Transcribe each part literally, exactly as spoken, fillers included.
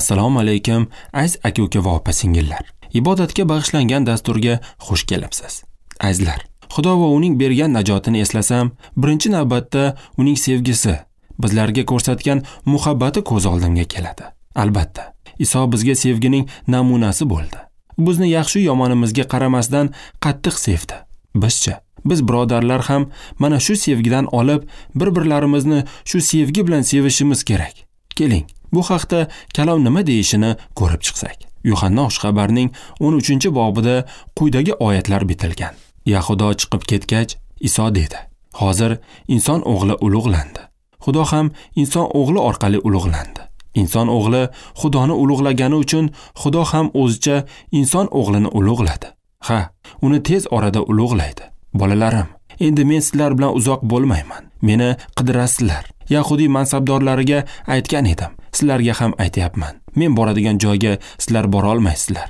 Assalomu alaykum, aziz aka-uka va opa-singillar. Ibodatga bag'ishlangan dasturga xush kelibsiz. Azizlar, Xudo va uning bergan najotini eslasam, birinchi navbatda uning sevgisi, bizlarga ko'rsatgan muhabbati ko'z oldimga keladi. Albatta, Iso bizga sevgining namunasi bo'ldi. Bizni yaxshi yomonimizga qaramasdan qattiq sevdi. Bizcha, biz birodarlar ham mana shu sevgidan olib, bir-birlarimizni shu sevgi bilan sevishimiz kerak. Keling, bu haqda kalom nima deyishini ko'rib chiqsak. Yuhanna xushxabarning o'n uchinchi bobida quyidagi oyatlar bitilgan. Yahudo chiqib ketgach, Iso dedi: "Hozir inson o'g'li ulug'landi. Xudo ham inson o'g'li orqali ulug'landi. Inson o'g'li Xudoni ulug'lagani uchun Xudo ham o'zicha inson o'g'lini ulug'ladi. Ha, uni tez orada ulug'laydi. Bolalarim, endi men sizlar bilan uzoq bo'lmayman. Meni qidirasizlar. Yahudiy mansabdorlariga aytgan edim, sizlarga ham aytyapman. Men boradigan joyga sizlar bora olmaysizlar.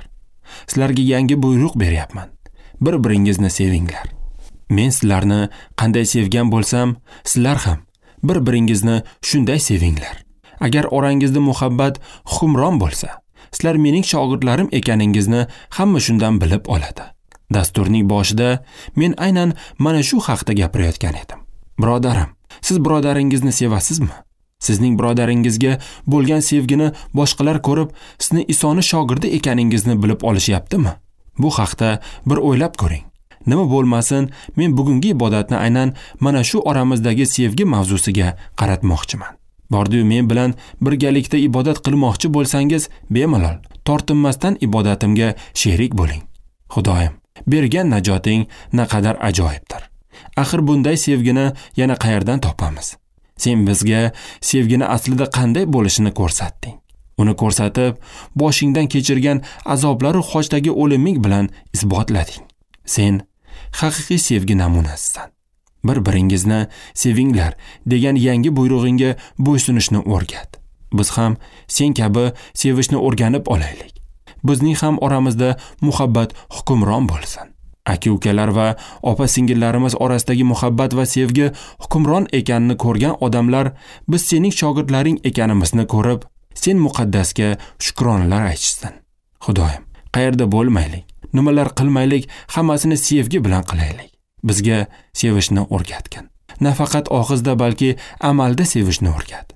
Sizlarga yangi buyruq beryapman. Bir-biringizni sevinglar. Men sizlarni qanday sevgan bo'lsam, sizlar ham bir-biringizni shunday sevinglar. Agar orangizda muhabbat hukmron bo'lsa, sizlar mening shogirdlarim ekaningizni hamma shundan bilib oladi." Dasturning boshida men aynan mana shu haqda gapirayotgan edim. Birodarim, siz birodaringizni sevasizmi? Sizning birodaringizga bo'lgan sevgini boshqalar ko'rib, sizni Isoni shogirdi ekaningizni bilib olishyaptimi? Bu haqda bir o'ylab ko'ring. Nima bo'lmasin, men bugungi ibodatni aynan mana shu oramizdagi sevgi mavzusiga qaratmoqchiman. Bordiyu men bilan birgalikda ibodat qilmoqchi bo'lsangiz, bemalol tortinmasdan ibodatimga sherik bo'ling. Xudoyim, bergan najoting naqadar ajoyibdir. Axir bunday sevgini yana qayerdan topamiz? Sen bizga sevgini aslida qanday bo'lishini ko'rsatding. Uni ko'rsatib, boshingdan kechirgan azoblaru xochdagi o'liming bilan isbotlading. Sen haqiqiy sevgi namunasisan. Bir-biringizni sevinglar degan yangi buyrug'ingga bo'ysunishni o'rgat. Biz ham sen kabi sevishni o'rganib olaylik. Bizning ham oramizda muhabbat hukmron bo'lsin. Aka-ukalar va opa-singillarimiz orasidagi muhabbat va sevgi hukmron ekanini ko'rgan odamlar biz sening shogirdlaring ekanimizni ko'rib, sen muqaddasga shukronalar aytishsin. Xudoyim, qayerda bo'lmaylik, nimalar qilmaylik, hammasini sevgi bilan qilaylik. Bizga sevishni o'rgatgin. Nafaqat og'izda, balki amalda sevishni o'rgat.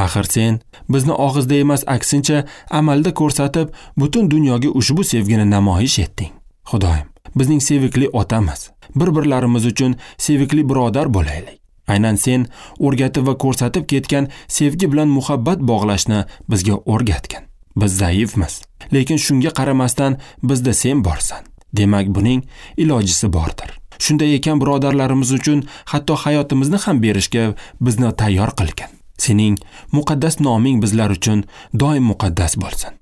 Axir sen bizni og'izda emas, aksincha amalda ko'rsatib, butun dunyoga ushbu sevgini namoyish etding. Xudoyim, bizning sevikli otamiz, bir-birlarimiz uchun sevikli birodar bo'laylik. Aynan sen o'rgatib va ko'rsatib ketgan sevgi bilan muhabbat bog'lashni bizga o'rgatgin. Biz zaifmiz, lekin shunga qaramasdan bizda sen borsan. Demak, buning ilojisi bordir. Shunday ekan, birodarlarimiz uchun hatto hayotimizni ham berishga bizni tayyor qilgin. Sening muqaddas noming bizlar uchun doim muqaddas bo'lsin.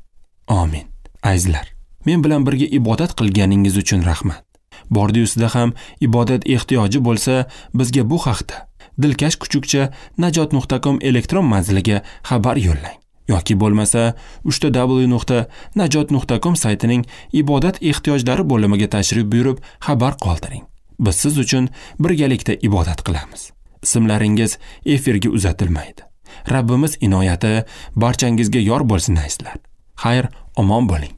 Amin. Azizlar, men bilan birga ibodat qilganingiz uchun rahmat. Bordiyu sizda ham ibodat ehtiyoji bo'lsa, bizga bu haqda dilkash kuchukcha najot nuqta com elektron manziliga xabar yo'llang yoki bo'lmasa uch ta w nuqta najot nuqta com saytining ibodat ehtiyojlari bo'limiga tashrif buyurib xabar qoldiring. Biz siz uchun birgalikda ibodat qilamiz. Ismlaringiz efirga uzatilmaydi. Rabbimiz inoyati barchangizga yor bo'lsin azizlar. Xayr, omon bo'ling.